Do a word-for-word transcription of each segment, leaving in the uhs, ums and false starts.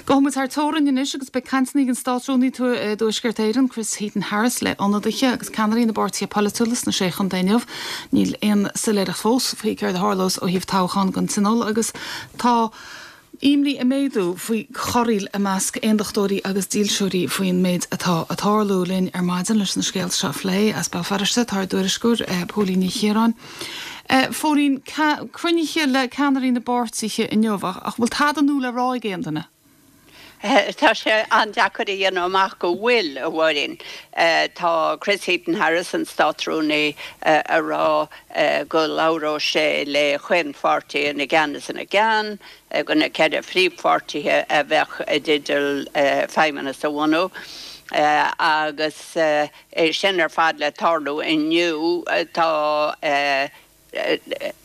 Gabhfaidh muid thar teorainn anois agus beidh cainteanna ag an Státrúnaí i dTuaisceart Éireann Chris Heaton Harris le ionadaithe agus ceannairí na bpáirtithe polaitiúla sna sé chontae inniu. Níl aon soiléireacht fós faoi céard a tharlós ó thaobh toghchán don Tionól agus tá imní ag méadú faoi chorraíl i measc aondachtóirí agus dílseoirí faoin méid atá ag tarlú linn ar maidin leis na scéalta seo a phlé as Béal Feirste tá ár dtuairisceoir eh, Póilín Ní Chiaráin. Eh, Phóilín cruinnithe le ceannairí na bpáirtithe inniu ach bhfuil tada nua le rá ag aon duine. Eh, tá sé an-deacair a dhéanamh amach go bhfuil a Mháirín. Tá Chris Heaton Harris an Státrúnaí ag rá go labhróidh sé le chaon pháirtí ina gceann is ina gceann, go na ceithre phríomhpháirtithe a bheadh i dteideal feidhmeannas a bhunú. agus é sin ar fad le tarlú inniu tá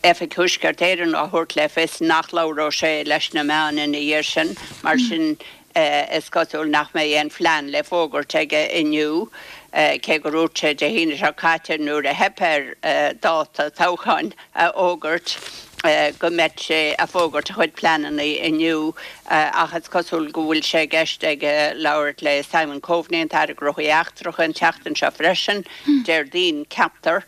Oifig Thuaisceart Éireann á thabhairt le fios nach labhróidh sé leis na meáin ina dhiaidh sin mar sin is cosúil nach mbeidh aon phlean le fógairt aige inniu cé gur dhúirt sé Dé hAoine seo caite nuair a theip air dáta toghcháin a fhógairt go mbeadh sé ag fógairt a chuid pleananna inniu ach is cosúil go bhfuil sé i gceist aige labhairt le Simon Coveney an tAire Gnóthaí Eachtracha an tseachtain seo freisin Déardaoin ceaptar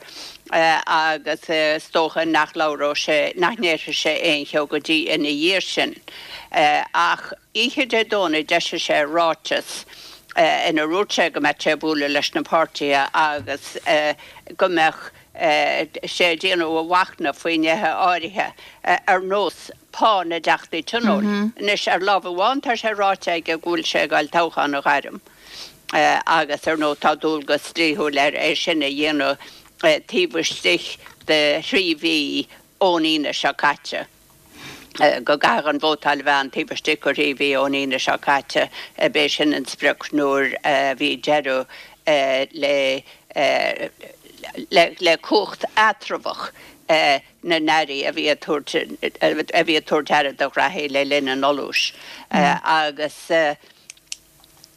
agus is dócha nach labhróidh sé nach ndéarfaidh sé aon cheo go dtí ina dhiaidh sin. Ach oíche Dé Domhnaigh d'eisigh sé ráiteas ina ndúirt sé go mbeadh sé ag bualadh leis na páirtithe agus go mbeadh sé ag déanamh a mhachnamh faoi nithe áirithe ar nós pá na dTeachtaí Tionóil. Anois ar lámh amháin tá sé ráite aige go bhfuil sé ag dul toghchán a ghairm agus ar ndóigh tá dualgas dlíthiúil air é sin a dhéanamh taobh istigh de thrí mhí ón Aoine seo caite. go gcaithfidh an vótáil a bheith ann taobh istigh de thrí mhí ón Aoine seo caite, b'é sin an sprioc nuair a bhí deireadh le le cumhacht eatramhach na n-airí a bhí ag tabhairt a bhí ag tabhairt aire do ghraithí le linn an fholúis agus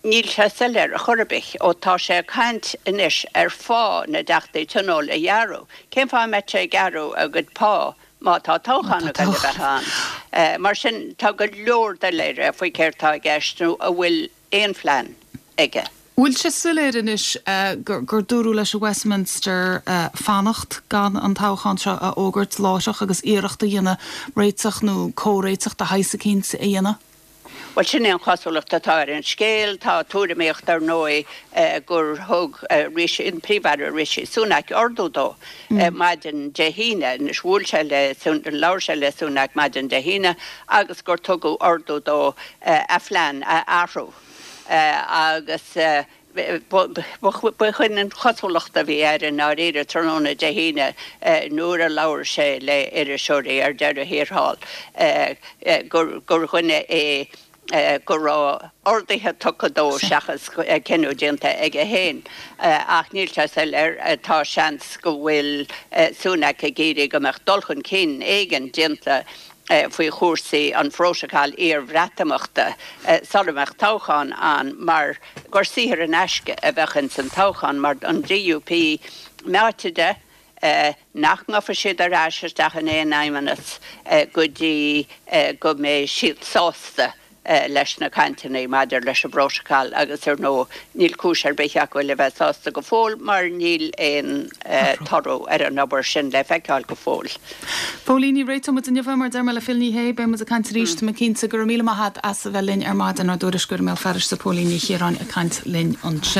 níl sé soiléir ar chor ar bith ó tá sé ag caint anois ar phá na dTeachtaí Tionóil a ghearradh. Cén fáth a mbeadh sé ag gearradh a gcuid pá má tá toghchán ag dul a bheith ann? Mar sin tá go leor doiléire faoi céard atá i gceist nó an bhfuil aon phlean aige. Bhfuil sé soiléir anois gur gur dúradh leis i Westminster fanacht gan an toghchán seo a fhógairt láithreach agus iarracht a dhéanamh réiteach nó comhréiteach de shaghas eicínt a dhéanamh? Bhuel sin é an chosúlacht atá ar an scéal. Tá tuairimíocht ar ndóigh gur thug Rishi, an Príomh-Aire Rishi Sunak ordú dó maidin Dé hAoine, anois bhuail sé le, labhair sé le Sunak maidin Dé hAoine agus gur tugadh ordú dó a phlean a athrú agus b'shin an chosúlacht a bhí air i ndáiríre tráthnóna Dé hAoine nuair a labhair sé le iriseoirí ar deireadh thiar thall gur dhuine é go raibh orduithe tugtha dó seachas cinneadh déanta aige féin. Ach níl sé soiléir, tá seans go bhfuil Sunak ag iarraidh go mbeadh dul chun cinn éigin déanta faoi chúrsaí an phrótacail iar-Bhreatimeachta sula mbeadh toghchán ann mar gur saothar in aisce a bheadh ins an toghchán mar an DUP meáite de nach ngabhfaidh siad ar ais isteach in aon fheidhmeannas go dtí go mbeidh siad sásta leis na cainteanna maidir leis an bprótacal agus ar ndóigh níl cúis ar bith acu le bheith sásta go fóill mar níl aon toradh ar an obair sin le feiceáil go fóill. Póilín, ní réiteoidh muid inniu é mar deir mé le Phil Ní Sheaghdha, beidh muid ag caint arís, tá mé cinnte. Go raibh míle maith agat as a bheith linn ar maidin, ár dtuairisceoir i mBéal Feirste, Póilín Ní Chiaráin ag caint linn ansin.